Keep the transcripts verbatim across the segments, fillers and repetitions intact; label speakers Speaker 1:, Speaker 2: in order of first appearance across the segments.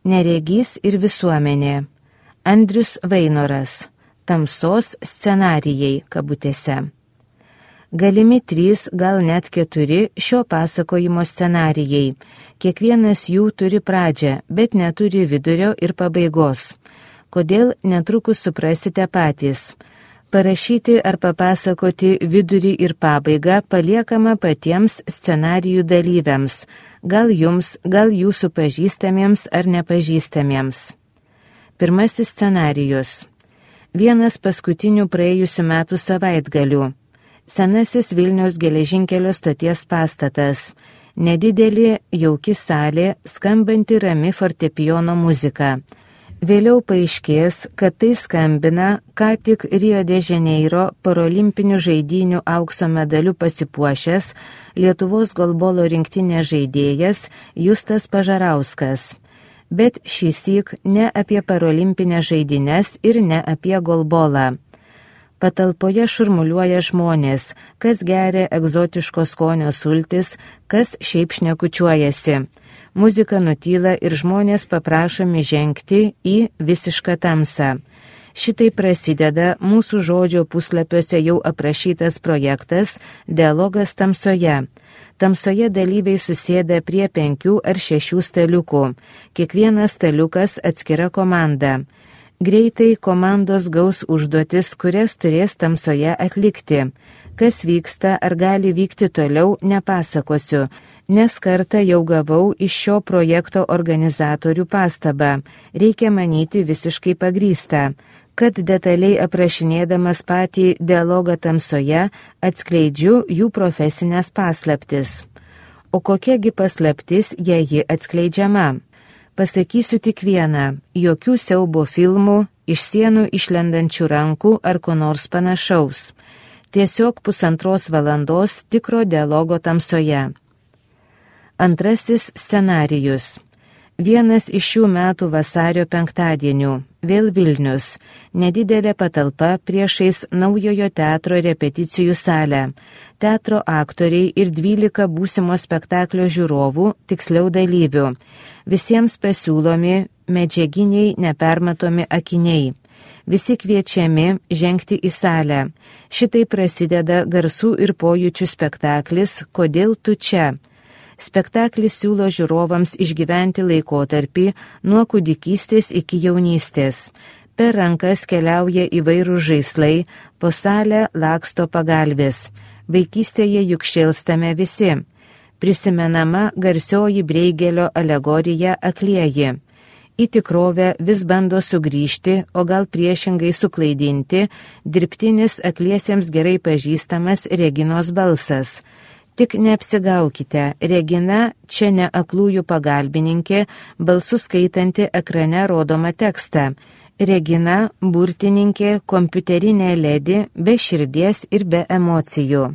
Speaker 1: Neregys ir visuomenė. Andrius Vainoras. Tamsos scenarijai kabutėse. Galimi trys, gal net keturi šio pasakojimo scenarijai. Kiekvienas jų turi pradžią, bet neturi vidurio ir pabaigos. Kodėl, netrukus suprasite patys. Parašyti ar papasakoti vidurį ir pabaigą paliekama patiems scenarijų dalyviams, gal jums, gal jūsų pažįstamiems ar nepažįstamiems. Pirmasis scenarijus. Vienas paskutinių praėjusių metų savaitgalių. Senasis Vilniaus geležinkelio stoties pastatas. Nedidelė, jauki salė, skambanti rami fortepijono muzika. Vėliau paaiškės, kad tai skambina ką tik Rio de Janeiro parolimpinių žaidynių aukso medaliu pasipuošęs Lietuvos golbolo rinktinės žaidėjas Justas Pažarauskas. Bet šįsyk ne apie parolimpinės žaidynes ir ne apie golbolą. Patalpoje šurmuliuoja žmonės, kas geria egzotiško skonio sultis, kas šiaip šnekučiuojasi. Muzika nutyla ir žmonės paprašomi žengti į visišką tamsą. Šitai prasideda mūsų žodžio puslapiuose jau aprašytas projektas Dialogas tamsoje. Tamsoje dalyviai susėda prie penkių ar šešių staliukų. Kiekvienas staliukas atskira komanda. Greitai komandos gaus užduotis, kurias turės tamsoje atlikti. Kas vyksta ar gali vykti toliau, nepasakosiu, nes kartą jau gavau iš šio projekto organizatorių pastabą. Reikia manyti visiškai pagrįstą, kad detaliai aprašinėdamas patį dialogą tamsoje atskleidžiu jų profesinės paslaptis. O kokiagi paslaptis, jei ji atskleidžiama? Pasakysiu tik vieną, jokių siaubo filmų, iš sienų išlendančių rankų ar ko nors panašaus. Tiesiog pusantros valandos tikro dialogo tamsoje. Antrasis scenarijus. Vienas iš šių metų vasario penktadienių. Vėl Vilnius. Nedidelė patalpa priešais naujojo teatro repeticijų salę. Teatro aktoriai ir dvylika būsimo spektaklio žiūrovų, tiksliau dalyvių. Visiems pasiūlomi medžiaginiai nepermatomi akiniai. Visi kviečiami žengti į salę. Šitai prasideda garsų ir pojūčių spektaklis Kodėl tu čia? Spektaklis siūlo žiūrovams išgyventi laikotarpį nuo kūdikystės iki jaunystės. Per rankas keliauja įvairūs žaislai, po salę laksto pagalvės. Vaikystėje juk šėlstame visi. Prisimenama garsioji Breigelio alegorija Aklieji. Į tikrovę vis bando sugrįžti, o gal priešingai suklaidinti, dirbtinis akliesiems gerai pažįstamas Reginos balsas. Tik neapsigaukite, Regina čia ne aklųjų pagalbininkė, balsu skaitanti ekrane rodomą tekstą. Regina burtininkė, kompiuterinė ledi, be širdies ir be emocijų.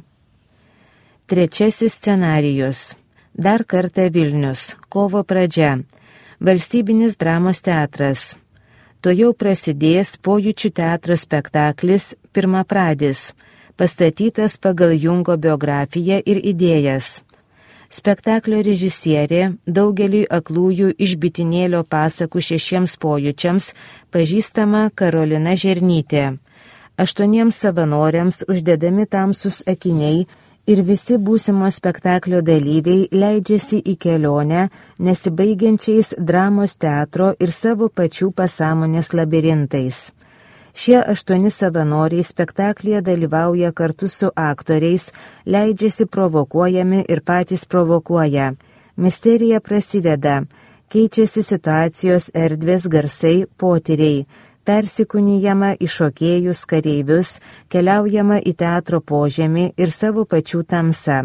Speaker 1: Trečiasis scenarijus. Dar kartą Vilnius. Kovo pradžia. Valstybinis dramos teatras. To jau prasidės pojūčių teatro spektaklis Pirmapradis, pastatytas pagal Jungo biografiją ir idėjas. Spektaklio režisierė daugeliui aklųjų iš bitinėlio pasakų šešiems pojūčiams pažįstama Karolina Žernytė. Aštuoniems savanoriams uždedami tamsus akiniai ir visi būsimo spektaklio dalyviai leidžiasi į kelionę nesibaigiančiais dramos teatro ir savo pačių pasąmonės labirintais. Šie aštuoni savanoriai spektaklyje dalyvauja kartu su aktoriais, leidžiasi provokuojami ir patys provokuoja. Misterija prasideda, keičiasi situacijos erdvės garsai, potyriai, persikūnijama į šokėjus, kareivius, keliaujama į teatro požemį ir savo pačių tamsą.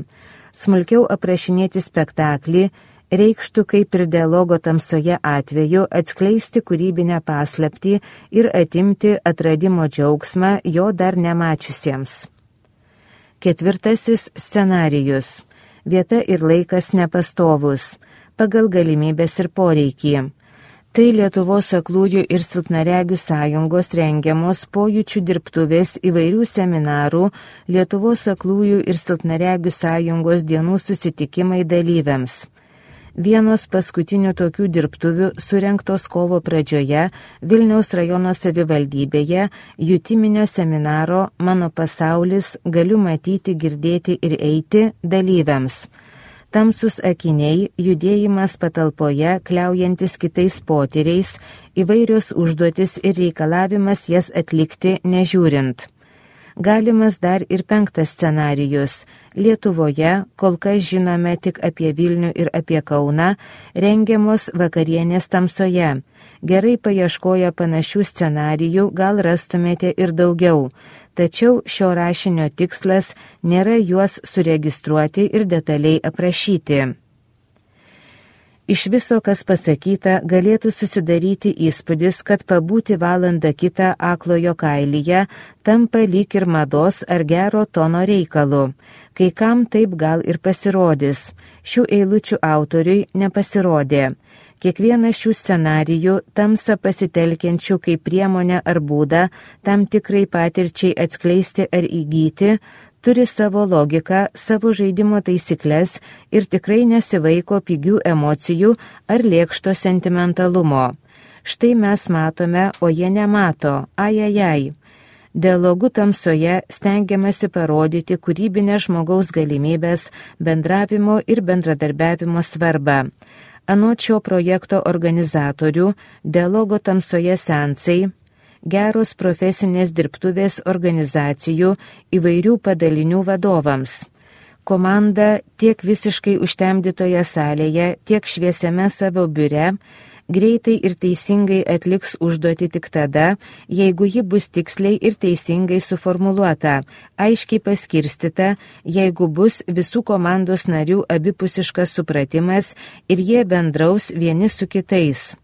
Speaker 1: Smulkiau aprašinėti spektaklį reikštų kaip ir dialogo tamsoje atveju atskleisti kūrybinę paslaptį ir atimti atradimo džiaugsmą jo dar nemačiusiems. Ketvirtasis scenarijus. Vieta ir laikas nepastovus, pagal galimybės ir poreikį. Tai Lietuvos aklųjų ir silpnaregių sąjungos rengiamos pojūčių dirbtuvės įvairių seminarų Lietuvos aklųjų ir silpnaregių sąjungos dienų susitikimai dalyviams. Vienos paskutinių tokių dirbtuvių surengtos kovo pradžioje Vilniaus rajono savivaldybėje jutiminio seminaro Mano pasaulis, galiu matyti, girdėti ir eiti dalyviams. Tamsus akiniai, judėjimas patalpoje, kliaujantis kitais potyriais, įvairios užduotis ir reikalavimas jas atlikti nežiūrint. Galimas dar ir penktas scenarijus. Lietuvoje, kol kas žinome tik apie Vilnių ir apie Kauną, rengiamos vakarienės tamsoje. Gerai paieškoję panašių scenarijų gal rastumėte ir daugiau, tačiau šio rašinio tikslas nėra juos suregistruoti ir detaliai aprašyti. Iš viso, kas pasakyta, galėtų susidaryti įspūdis, kad pabūti valandą kitą aklojo kailyje tampa lyg ir mados ar gero tono reikalu. Kai kam taip gal ir pasirodys. Šių eilučių autoriui nepasirodė. Kiekvienas šių scenarijų tamsą pasitelkiančių kaip priemonę ar būdą tam tikrai patirčiai atskleisti ar įgyti, turi savo logiką, savo žaidimo taisyklės ir tikrai nesivaiko pigių emocijų ar lėkšto sentimentalumo. Štai mes matome, o jie nemato, ajajai. Dialogu tamsoje stengiamasi parodyti kūrybinę žmogaus galimybės, bendravimo ir bendradarbiavimo svarbą. Anot šio projekto organizatorių, dialogo tamsoje seansai, geros profesinės dirbtuvės organizacijų įvairių padalinių vadovams. Komanda tiek visiškai užtemdytoje salėje, tiek šviesiame savo biure greitai ir teisingai atliks užduotį tik tada, jeigu ji bus tiksliai ir teisingai suformuluota, aiškiai paskirstyta, jeigu bus visų komandos narių abipusiškas supratimas ir jie bendraus vieni su kitais.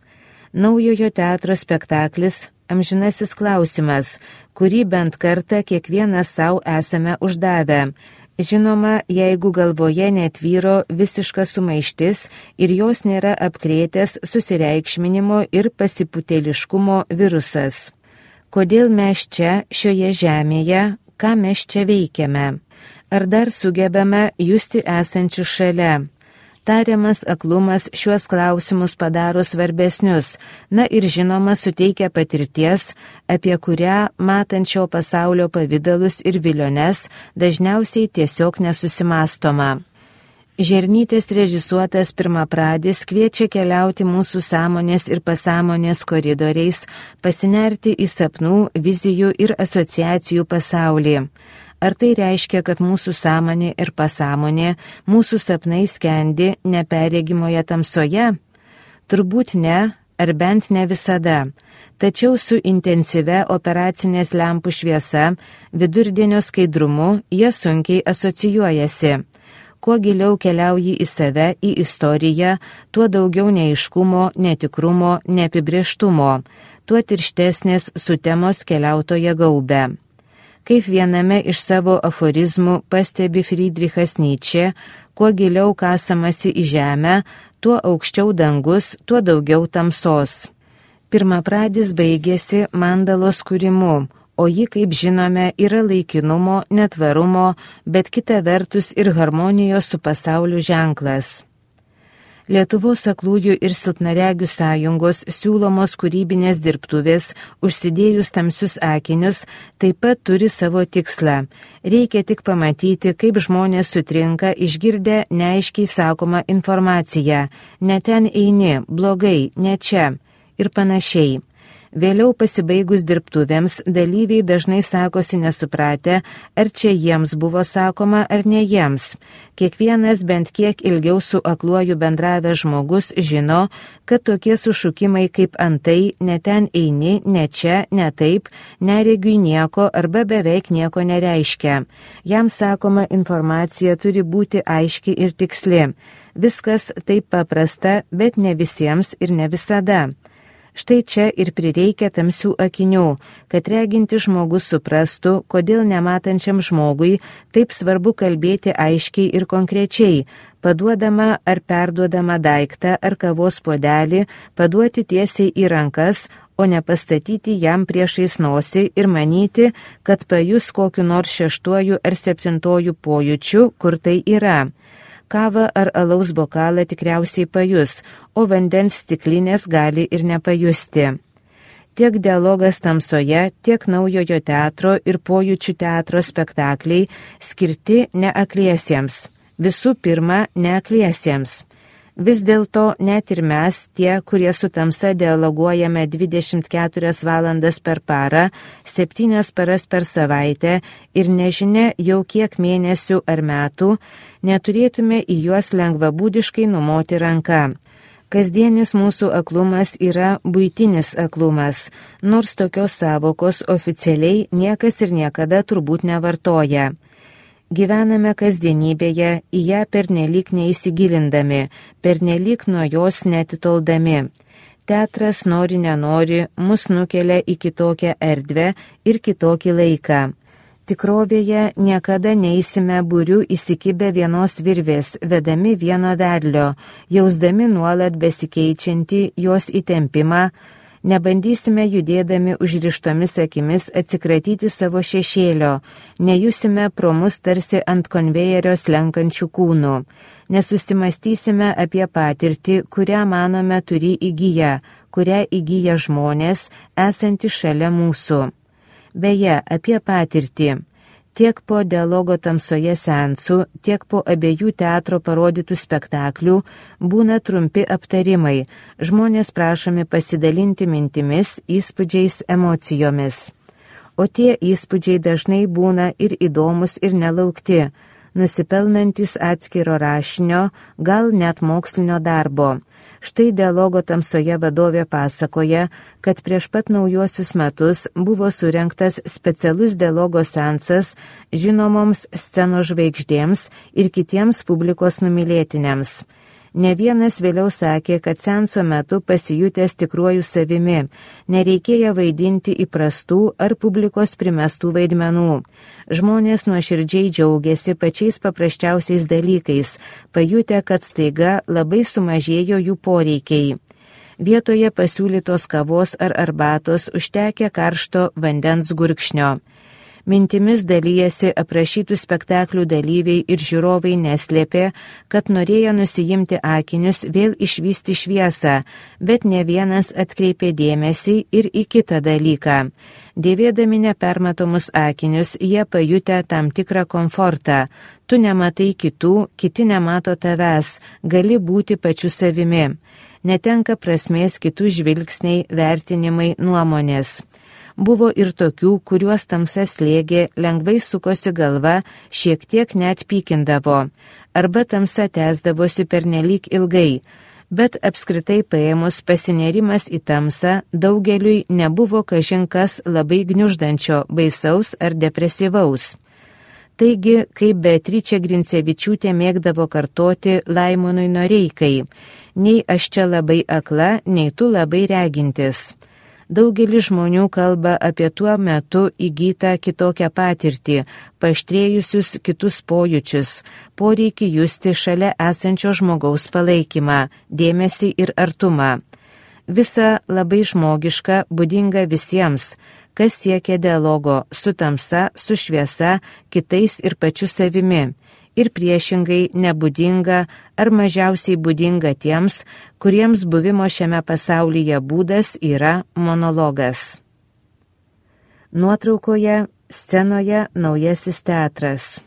Speaker 1: Naujojo teatro spektaklis Amžinasis klausimas, kurį bent kartą kiekvienas savo esame uždavę. Žinoma, jeigu galvoje netvyro visiška sumaištis ir jos nėra apkrėtęs susireikšminimo ir pasiputėliškumo virusas. Kodėl mes čia, šioje žemėje, ką mes čia veikiame? Ar dar sugebame justi esančius šalia? Tariamas aklumas šiuos klausimus padaro svarbesnius, na ir žinoma suteikia patirties, apie kurią matančio pasaulio pavydalus ir viliones dažniausiai tiesiog nesusimastoma. Žernytės režisuotas pirmapradis kviečia keliauti mūsų sąmonės ir pasąmonės koridoriais, pasinerti į sapnų, vizijų ir asociacijų pasaulį. Ar tai reiškia, kad mūsų sąmonė ir pasąmonė, mūsų sapnai skendi neperregimoje tamsoje? Turbūt ne, ar bent ne visada. Tačiau su intensyvia operacinės lempų šviesa, vidurdienio skaidrumu, jie sunkiai asocijuojasi. Kuo giliau keliauji į save, į istoriją, tuo daugiau neaiškumo, netikrumo, neapibrieštumo, tuo tirštesnės sutemos keliautoje gaubė. Kaip viename iš savo aforizmų pastebi Friedrichas Nyčė, kuo giliau kasamasi į žemę, tuo aukščiau dangus, tuo daugiau tamsos. Pirmapradis baigėsi mandalos kūrimu, o ji, kaip žinome, yra laikinumo, netvarumo, bet kita vertus ir harmonijos su pasauliu ženklas. Lietuvos aklųjų ir silpnaregių sąjungos siūlomos kūrybinės dirbtuvės, užsidėjus tamsius akinius, taip pat turi savo tikslą. Reikia tik pamatyti, kaip žmonės sutrinka išgirdę neaiškiai sakomą informaciją. Ne ten eini, blogai, ne čia ir panašiai. Vėliau pasibaigus dirbtuvėms dalyviai dažnai sakosi nesupratę, ar čia jiems buvo sakoma, ar ne jiems. Kiekvienas bent kiek ilgiau su akluoju bendravęs žmogus žino, kad tokie sušukimai kaip antai, ne ten eini, ne čia, ne taip, neregiui nieko arba beveik nieko nereiškia. Jam sakoma informacija turi būti aiški ir tiksli. Viskas taip paprasta, bet ne visiems ir ne visada. Štai čia ir prireikia tamsių akinių, kad reginti žmogus suprastų, kodėl nematančiam žmogui taip svarbu kalbėti aiškiai ir konkrečiai, paduodama ar perduodama daiktą ar kavos puodelį, paduoti tiesiai į rankas, o ne pastatyti jam priešais nosį ir manyti, kad pajus kokiu nors šeštuoju ar septintuoju pojūčiu, kur tai yra. Kavą ar alaus bokalą tikriausiai pajus, o vandens stiklinės gali ir nepajusti. Tiek dialogas tamsoje, tiek naujojo teatro ir pojūčių teatro spektakliai skirti neakliesiems. Visų pirma, neakliesiems. Vis dėlto net ir mes, tie, kurie su tamsa dialoguojame dvidešimt keturias valandas per parą, septynias paras per savaitę ir nežinia jau kiek mėnesių ar metų, neturėtume į juos lengvabūdiškai numoti ranką. Kasdienis mūsų aklumas yra buitinis aklumas, nors tokios savokos oficialiai niekas ir niekada turbūt nevartoja. Gyvename kasdienybėje, į ją pernelyg neįsigilindami, pernelyg nuo jos netitoldami. Teatras nori nenori mus nukelia į kitokią erdvę ir kitokį laiką. Tikrovėje niekada neįsime būrių įsikibę vienos virvės, vedami vieno vedlio, jausdami nuolat besikeičiantį jos įtempimą, nebandysime judėdami užrištomis akimis atsikratyti savo šešėlio, nejusime pro mus tarsi ant konvejerio slenkančių kūnų, nesusimastysime apie patirtį, kurią manome turi įgyję, kurią įgyja žmonės, esantys šalia mūsų. Beje, apie patirtį. Tiek po dialogo tamsoje seansų, tiek po abiejų teatro parodytų spektaklių būna trumpi aptarimai, žmonės prašomi pasidalinti mintimis, įspūdžiais, emocijomis. O tie įspūdžiai dažnai būna ir įdomus, ir nelaukti, nusipelnantis atskiro rašinio, gal net mokslinio darbo. Štai dialogo tamsoje vadovė pasakoja, kad prieš pat naujuosius metus buvo surengtas specialus dialogo seansas žinomoms scenos žvaigždėms ir kitiems publikos numylėtiniams. Ne vienas vėliau sakė, kad seanso metu pasijutęs tikruoju savimi, nereikėjo vaidinti įprastų ar publikos primestų vaidmenų. Žmonės nuoširdžiai džiaugiasi pačiais paprasčiausiais dalykais, pajutę, kad staiga labai sumažėjo jų poreikiai. Vietoje pasiūlytos kavos ar arbatos užtekė karšto vandens gurkšnio. Mintimis dalyjasi aprašytų spektaklių dalyviai ir žiūrovai neslėpė, kad norėjo nusijimti akinius, vėl išvysti šviesą, bet ne vienas atkreipė dėmesį ir į kitą dalyką. Dėvėdami nepermatomus akinius, jie pajutę tam tikrą komfortą. Tu nematai kitų, kiti nemato tavęs, gali būti pačiu savimi. Netenka prasmės kitų žvilgsniai, vertinimai, nuomonės. Buvo ir tokių, kuriuos tamsa slėgė, lengvai sukosi galva, šiek tiek net pykindavo, arba tamsa tęsdavosi pernelyg ilgai, bet apskritai paėmus pasinerimas į tamsą daugeliui nebuvo kažinkas labai gniuždančio, baisaus ar depresyvaus. Taigi, kaip Beatričė Grincevičiūtė mėgdavo kartoti Laimonui Noreikai, nei aš čia labai akla, nei tu labai regintis. Daugelis žmonių kalba apie tuo metu įgytą kitokią patirtį, paaštrėjusius kitus pojūčius, poreikį justi šalia esančio žmogaus palaikymą, dėmesį ir artumą. Visa labai žmogiška, būdinga visiems, kas siekia dialogo su tamsa, su šviesa, kitais ir pačiu savimi. Ir priešingai nebūdinga ar mažiausiai būdinga tiems, kuriems buvimo šiame pasaulyje būdas yra monologas. Nuotraukoje scenoje Naujasis teatras.